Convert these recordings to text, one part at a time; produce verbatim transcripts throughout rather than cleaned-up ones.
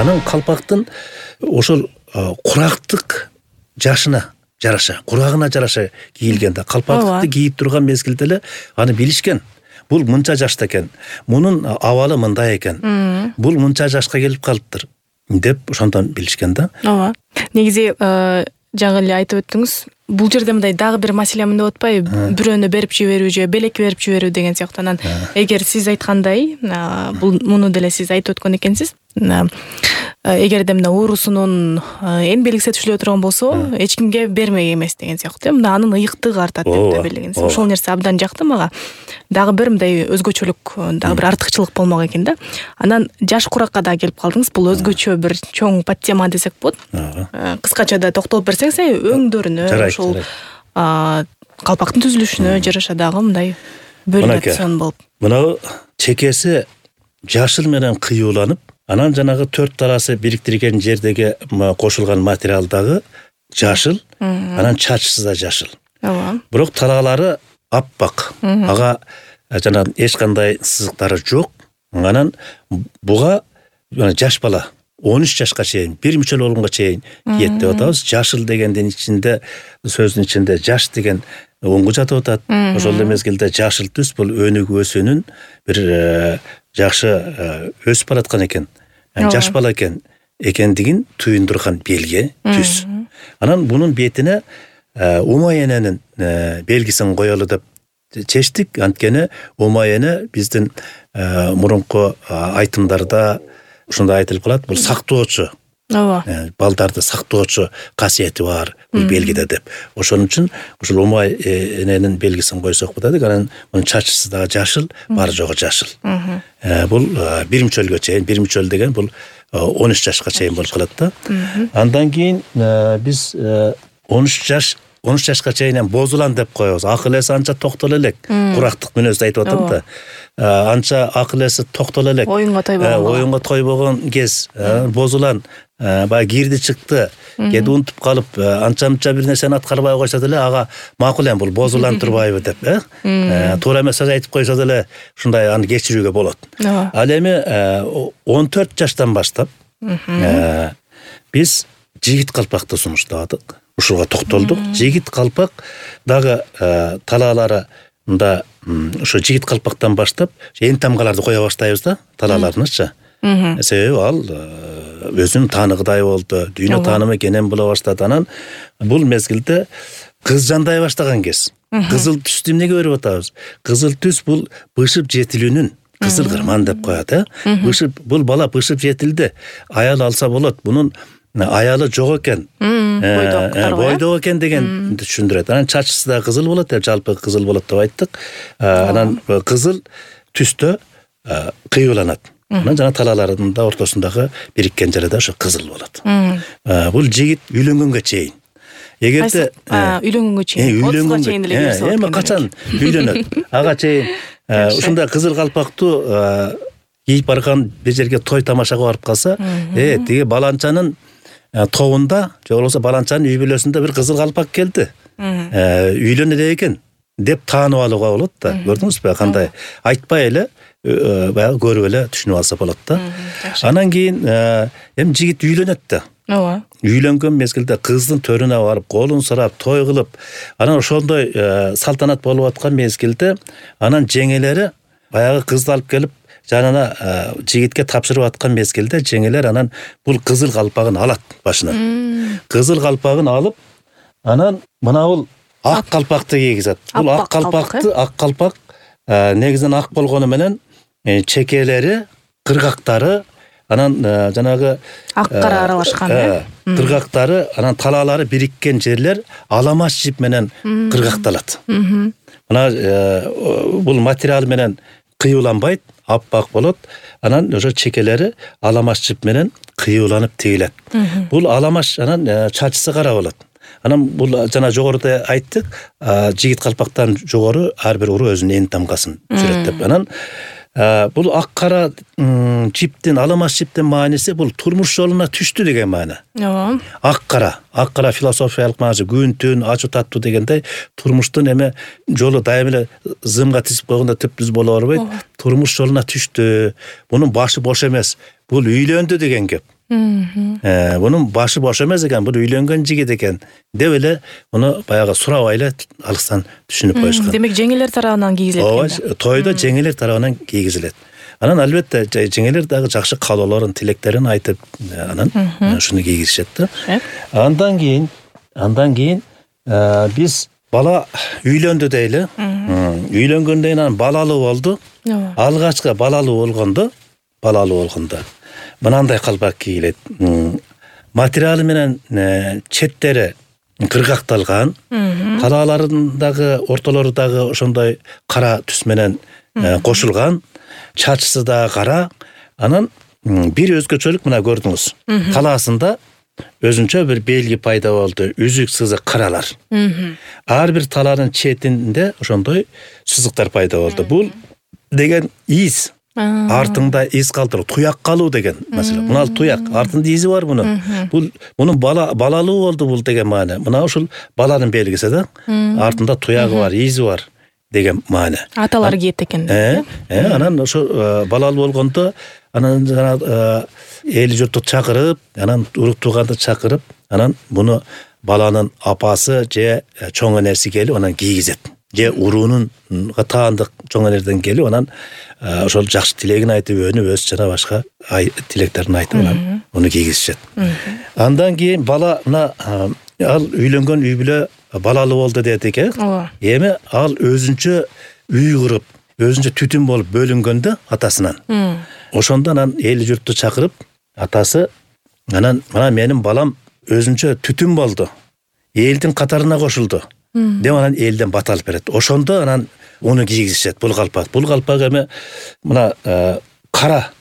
Анан калпактын ошол курактык жашына жараша, курагына жараша кийилген да. Калпакты кийип турган мезгилде эле аны билишкен. Бул мынча жашта экен. Мунун абалы мындай экен. Бул мынча жашка келип калыптыр деп ошондон билишкен да. Ооба. Негизи жаңы эле айтып өттүңүз. Бул жерде мындай дагы бир маселе мында отпайбы? Бирөөнү берип жиберүү же белек берип жиберүү деген сыяктуу. Анан эгер сиз айткандай, бул муну деле сиз айтып өткөн экенсиз. Эгерде мына уурусунун эң белгисетиштүү турган болсо, эч кимге бермек эмес деген сыяктуу. Мына анын ыйыктыгы артат деп белгилегенсиз. Ошол нерсе абдан жакты мага. Дагы бир мындай өзгөчөлүк, дагы бир артыкчылык болмок экен да. Анан жаш куракка да келип калдыңыз. Бул өзгөчө бир чоң подтема десек болот. Кыскача да токтолуп берсеңиз, өңдөрүнө, ошол калпактын түзүлүшүнө жараша дагы мындай бөлүнөт болуп. Мына чекеси жашыл менен кыюуланып, анан жанагы төрт таласы бириктирген жердеги кошулган материал дагы жашыл, анан чачысы да жашыл. Ооба. Бирок талаалары аппак. Ага жана эч кандай сызыктары жок. Анан буга жаш бала он үч жашка чейин, бир мүчөл болгонго чейин кийет деп атабыз. Жашыл дегендин ичинде, сөздүн ичинде жаш деген оңго жатып атат. Ошол эле мезгилде жашыл түс бул өнүгүү өсүүнүн бир жакшы өсүп бараткан экен. Жаш бала экен экендигин туюндурган белги, түс. Анан бунун бетине умаененин белгисин коелу деп чечтик. Анткени умаене биздин мурунку айтымдарда ушундай айтылып калат, бул сактоочу. Ооба. Балдарды сактоочу касиети бар бул белгиде деп. Ошон үчүн ушул умаененин белгисин койсок болот. Анан мунун чачысы дагы жашыл, баары жогу жашыл. Бул бир мүчөлгө чейин, бир мүчөл деген бул он үч жашка чейин болуп калат да. Андан кийин биз он үч жаш он үч жашка чейин бозулан деп коебуз. Акыл эси анча токтол элек. Курактык мүнөздү айтып атам да. Анча акыл эси токтол элек. Оюнга тойбогон. Оюнга тойбогон кез, бозулан, баягы кирди чыкты, кеди унутуп калып, анча-мынча бир нерсени аткарбай койсо деле ага макул эми бул бозулан турбайбы деп, э? Туура эмес сөз айтып койсо деле ушундай аны кечирүүгө болот. Ал эми он төрт жаштан баштап биз жигит калпакты сунуштадык. Ушуга токтолдук. Жигит калпак дагы талаалары мында ошо жигит калпактан баштап эң тамгаларды кое баштайбыз да, талааларынычы. Себеби ал өзүнүн тааныгыдай болду, дүйнө таанымы кенен боло баштады. Анан бул мезгилде кыз жандай баштаган кез. Кызыл түстү эмнеге берип атабыз? Кызыл түс бул бышып жетилүүнүн кызыл кырман деп коет, э? Бышып, бул бала бышып жетилди. Аял алса болот. Бунун аялы жок экен. Бойдок экен деген түшүндүрөт. Анан чачысы да кызыл болот деп, жалпы кызыл болот деп айттык. Анан кызыл түстө кыюуланат. Анан жана талааларынын да ортосундагы бириккен жери да ошо кызыл болот. Бул жигит үйлөнгөнгө чейин. Эгерде үйлөнгөнгө чейин, отузга чейин деле берсе болот. Эми качан үйлөнөт? Ага чейин ушундай кызыл калпактуу кийип барган бир жерге той тамашага барып калса, э, тиги баланчанын тобунда, же болбосо баланчанын үй бүлөсүндө бир кызыл калпак келди. Үйлөнө экен деп таанып алууга болот да. Көрдүңүзбү кандай? Айтпай эле баягы көрүп эле түшүнүп алса болот да. Анан кийин эми жигит үйлөнөт да. Ооба. Үйлөнгөн мезгилде кыздын төрүнө барып, колун сурап, той кылып, анан ошондой салтанат болуп аткан мезгилде анан жеңелери баягы кызды алып келип жанына жигитке тапшырып аткан мезгилде жеңелер анан бул кызыл калпагын алат башынан. Кызыл калпагын алып, анан мына бул ак калпакты кийгизет. Бул ак калпакты, ак калпак негизинен ак болгону менен чекелери, кыргактары, анан жанагы ак кара аралашкан, э? Кыргактары, анан талаалары бириккен жерлер аламаш жип менен кыргакталат. Мына бул материал менен кыюуланбайт, аппак болот. Анан ошо чекелери аламаш жип менен кыюуланып тигилет. Бул аламаш анан чачысы кара болот. Анан бул жана жогоруда айттык, жигит калпактан жогору ар бир уру өзүнүн эң тамгасын сүрөттөп. Анан бул ак кара жиптин, аламаш жиптин мааниси бул турмуш жолуна түштү деген маана. Ооба. Ак кара, ак кара философиялык маанасы, күн түн, ачуу таттуу дегендей турмуштун эме жолу дайым эле зымга тизип койгондо түп-түз боло бербейт. Турмуш жолуна түштү. Бунун башы бош эмес. Бул үйлөндү деген кеп. Э, Бунун башы бош эмес экен, бул үйлөнгөн жигит экен деп эле муну баягы сурабай эле алыстан түшүнүп коюшкан. Демек жеңелер тарабынан кийгизилет. Ооба, тойдо жеңелер тарабынан кийгизилет. Анан албетте жеңелер дагы жакшы каалоолорун, тилектерин айтып, анан ушуну кийгизишет да. Андан кийин, андан кийин биз бала үйлөндү дейли. Үйлөнгөндөн кийин анан балалуу болду. Алгачкы балалуу болгондо, балалуу болгондо мынандай калпак кийилет. Материалы менен четтери кыргакталган, талааларындагы, ортолорудагы ошондой кара түс менен кошулган, чачысы да кара. Анан бир өзгөчөлүк мына көрдүңүз. Талаасында өзүнчө бир белги пайда болду, үзүк сызык каралар. Ар бир талаанын четинде ошондой сызыктар пайда болду. Бул деген из. Артыңда из калтыруу, туяк калуу деген маселе. Мына туяк, артында изи бар мунун. Бул мунун бала балалуу болду бул деген маана. Мына ушул баланын белгиси да. Артында туягы бар, изи бар деген маана. Аталар кийет экен. Э, анан ошо балалуу болгондо анан жана эл журтту чакырып, анан урук тууганды чакырып, анан муну баланын апасы же чоң энеси келип анан кийгизет. Же уруунун таандык чоң энерден келип анан ошол жакшы тилегин айтып, өнүп өз жана башка тилектерин айтып анан муну кийгизишет. Андан кийин бала мына ал үйлөнгөн үй бүлө балалуу болду дедик э. Эми ал өзүнчө үй куруп, өзүнчө түтүн болуп бөлүнгөндө атасынан. Ошондо анан эл журтту чакырып, атасы анан мына менин балам өзүнчө түтүн болду. Элдин катарына кошулду. Деп анан элден бат алып берет. Ошондо анан уну кийгизишет бул калпак. Бул калпак эми мына кара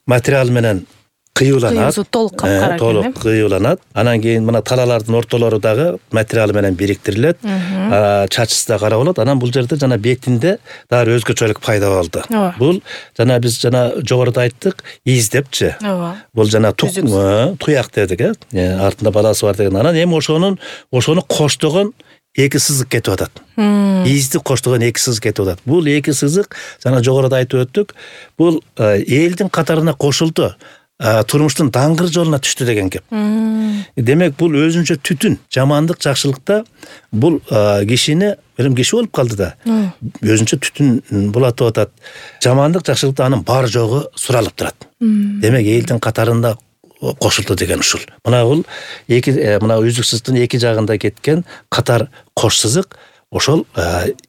материал менен кыюланат. Толук капкара. Толук кыюланат. Анан кийин мына талаалардын ортолору дагы материал менен бириктирилет. Чачысы да кара болот. Анан бул жерде жана бетинде дагы өзгөчөлүк пайда болду. Бул жана биз жана жогоруда айттык, из депчи. Бул жана туяк дедик э. Артында баласы бар деген. Анан эми ошонун ошону коштогон эки сызык кетип атат. Изди коштогон эки сызык кетип атат. Бул эки сызык жана жогоруда айтып өттүк. Бул элдин катарына кошулду. Турмуштун даңгыр жолуна түштү деген кеп. Демек бул өзүнчө түтүн, жамандык, жакшылыкта бул кишини, бирим киши болуп калды да. Өзүнчө түтүн булатып атат. Жамандык, жакшылыкта анын бар жогу суралып турат. Демек элдин катарында кошулду деген ушул. Мына бул эки мына үзүк сызыктын эки жагында кеткен катар кош сызык, ошол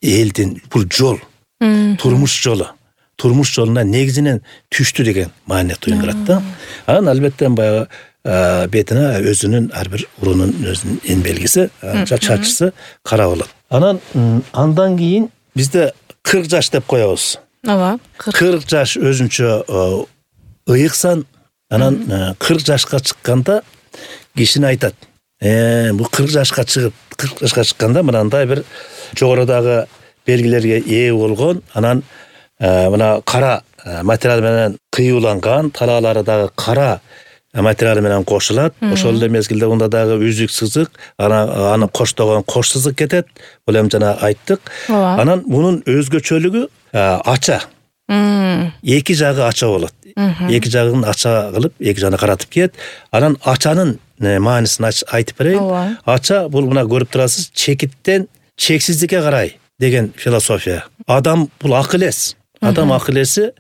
элдин бул жол, турмуш жолу. Турмуш жолуна негизинен түштү деген маани туюндурат да. Анан албетте баягы бетине өзүнүн ар бир урунун өзүнүн эн белгиси, чачысы кара болот. Анан андан кийин бизде кырк жаш деп коебуз. Ооба, кырк жаш өзүнчө ыйыксан. Анан кырк жашка чыкканда кишини айтат. Э, бул кырк жашка чыгып, кырк жашка чыкканда мынандай бир жогорудагы белгилерге ээ болгон, анан мына кара материал менен кыюланган, талаалары дагы кара материал менен кошулат. Ошол эле мезгилде мында дагы үзүк сызык, анан аны коштогон кош сызык кетет. Бул эми жана айттык. Анан мунун өзгөчөлүгү ача. Эки жагы ача болот. Эки жагын ача кылып, эки жагына каратып киет. Анан ачанын маанисин айтып берейин. Ача бул мына көрүп турасыз, чекиттен чексиздикке карай деген философия. Адам бул акыл эс. Адам акыл эси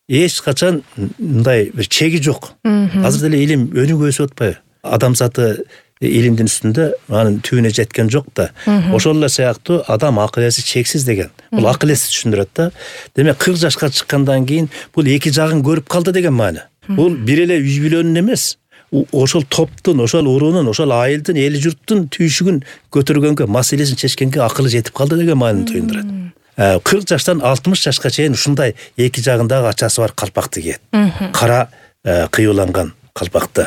эч качан мындай бир чеги жок. Азыр деле илим өнүгүп өсүп атпайбы? Адам заты илимдин үстүндө анын түбүнө жеткен жок да. Ошол эле сыяктуу адам акыл эси чексиз деген. Бул акыл эси түшүндүрөт да. Демек кырк жашка чыккандан кийин бул эки жагын көрүп калды деген маани. Бул бир эле үй бүлөнүн эмес, ошол топтун, ошол уруунун, ошол айылдын, эл журттун түйшүгүн көтөргөнгө, маселесин чечкенге акылы жетип калды деген маанини туюндурат. кырк жаштан алтымыш жашка чейин ушундай эки жагындагы ачасы бар калпакты кийет. Кара кыюланган калпакты.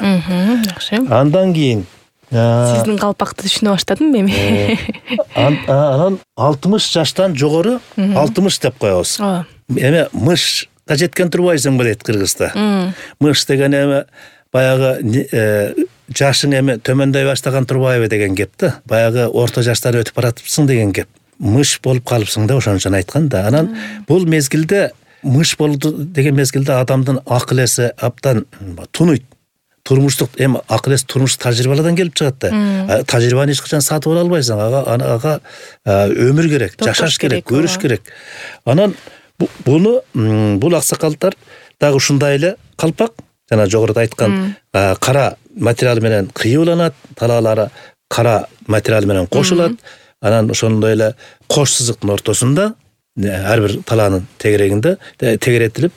Андан кийин сиздин калпакты түшүнө баштадым эми. Анан алтымыш жаштан жогору, алтымыш деп коебуз. Эми мышка жеткен турбайсың дейт кыргызда. Мыш деген эми баягы жашың эми төмөндөй баштаган турбайбы деген кеп да. Баягы орто жаштан өтүп баратыпсың деген кеп. Мыш болуп калыпсың да, ошон үчүн айткан да. Анан бул мезгилде мыш болду деген мезгилде адамдын акыл эси абдан тунуйт. турмуштук эми акыл эс турмуштук тажрыйбалардан келип чыгат да. Тажрыйбаны эч качан сатып ала албайсың. Ага ага өмүр керек, жашаш керек, көрүш керек. Анан буну бул аксакалдар дагы ушундай эле калпак, жана жогоруда айткан кара материал менен кыйыланат, талаалары кара материал менен кошулат. Анан ошондой эле кош сызыктын ортосунда ар бир талаанын тегерегинде тегеретилип,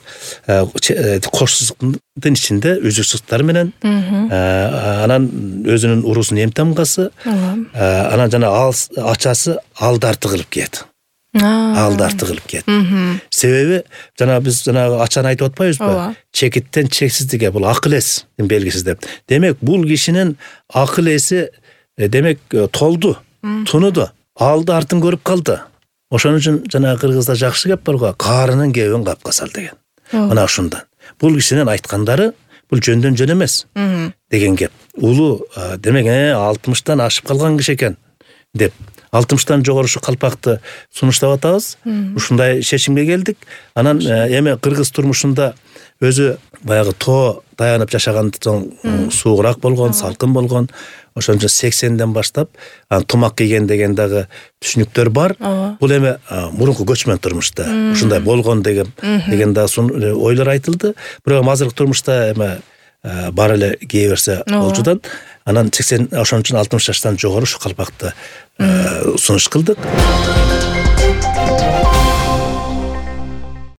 кош сызыктын ичинде үзүк сызыктар менен, анан өзүнүн уруусунун эм тамгасы, анан жана ачасы алдарты кылып кийет. Алдарты кылып кийет. Себеби жана биз жанагы ачаны айтып атпайбызбы? Чекиттен чексиздикке, бул акыл эстин белгиси деп. Демек, бул кишинин акыл эси демек толду, тунуду, алды артын көрүп калды. Ошон үчүн жана кыргызда жакшы кеп бар го, карынын кебин капка сал деген. Мына ушундан. Бул кишинин айткандары бул жөндөн жөн эмес деген кеп. Улуу демек алтымыштан ашып калган киши экен деп алтымыштан жогору ушу калпакты сунуштап атабыз. Ушундай чечимге келдик. Анан эми кыргыз турмушунда өзү баягы тоо таянып жашаган соң суугураак болгон, салкын болгон. Ошон үчүн сексенден баштап тумак кийген деген дагы түшүнүктөр бар. Бул эми мурунку көчмөн турмушта ушундай болгон деген деген да ойлор айтылды. Бирок азыркы турмушта эми бар эле кие берсе болчудан. Анан сексен ошон үчүн алтымыш жаштан жогору ушу калпакты сунуш кылдык.